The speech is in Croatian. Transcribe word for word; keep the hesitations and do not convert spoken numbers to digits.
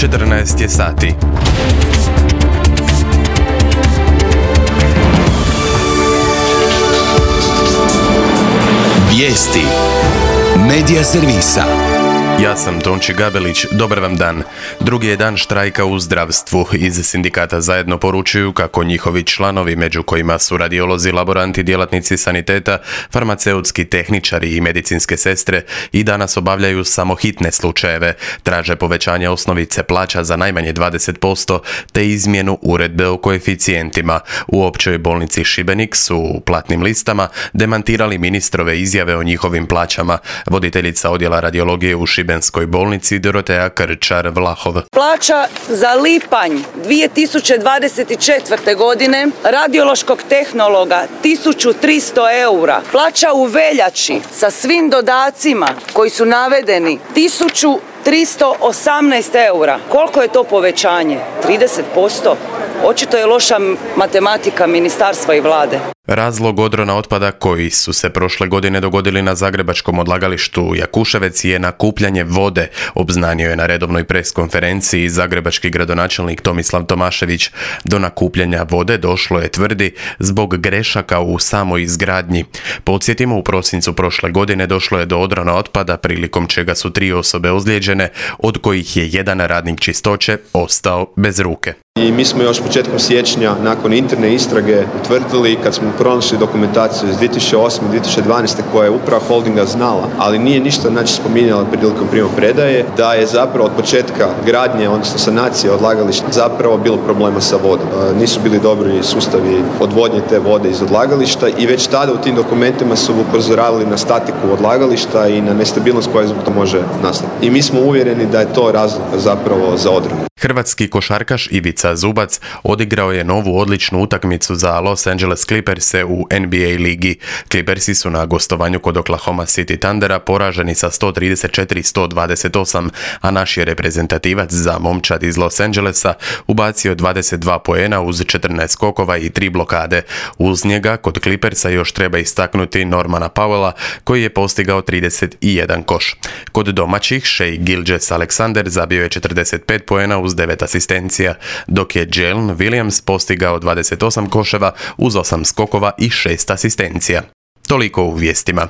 četrnaest je sati. Vijesti Medija servisa. Ja sam Tonči Gabelić, dobar vam dan. Drugi je dan štrajka u zdravstvu. Iz sindikata zajedno poručuju kako njihovi članovi, među kojima su radiolozi, laboranti, djelatnici saniteta, farmaceutski tehničari i medicinske sestre, i danas obavljaju samo hitne slučajeve. Traže povećanje osnovice plaća za najmanje dvadeset posto te izmjenu uredbe o koeficijentima. U općoj bolnici Šibenik su u platnim listama demantirali ministrove izjave o njihovim plaćama. Voditeljica odjela radiologije u Šibenskoj bolnici Doroteja Krčar-Vlahov. Plaća za lipanj dvije tisuće dvadeset četvrte. godine radiološkog tehnologa tisuću tristo eura. Plaća u veljači sa svim dodacima koji su navedeni tisuću tristo osamnaest eura. Koliko je to povećanje? trideset posto? Očito je loša matematika ministarstva i vlade. Razlog odrona otpada koji su se prošle godine dogodili na zagrebačkom odlagalištu Jakuševec je nakupljanje vode, obznanio je na redovnoj pres konferenciji zagrebački gradonačelnik Tomislav Tomašević. Do nakupljanja vode došlo je, tvrdi, zbog grešaka u samoj izgradnji. Podsjetimo, u prosincu prošle godine došlo je do odrona otpada, prilikom čega su tri osobe ozlijeđene, od kojih je jedan radnik čistoće ostao bez ruke. I mi smo još početkom siječnja, nakon interne istrage, utvrdili, kad smo pronašli dokumentaciju iz dvije tisuće osme. dvije tisuće dvanaeste. koja je uprava holdinga znala, ali nije ništa znači spominjala prilikom primopredaje, da je zapravo od početka gradnje, odnosno sanacije odlagališta, zapravo bilo problema sa vodom. Nisu bili dobri sustavi odvodnje te vode iz odlagališta i već tada u tim dokumentima su upozoravali na statiku odlagališta i na nestabilnost koja zbog to može nastati. I mi smo uvjereni da je to razlog zapravo za odronu. Hrvatski košarkaš Ivica Zubac odigrao je novu odličnu utakmicu za Los Angeles Clippers-e u N B A ligi. Clippersi su na gostovanju kod Oklahoma City Thundera poraženi sa sto trideset četiri sto dvadeset osam, a naš je reprezentativac za momčad iz Los Angelesa ubacio dvadeset dva poena uz četrnaest skokova i tri blokade. Uz njega kod Clippersa još treba istaknuti Normana Powella, koji je postigao trideset jedan koš. Kod domaćih Shai Gilgeous-Alexander zabio je četrdeset pet poena uz devet asistencija, dok je Jalen Williams postigao dvadeset osam koševa uz osam skokova i šest asistencija. Toliko u vijestima.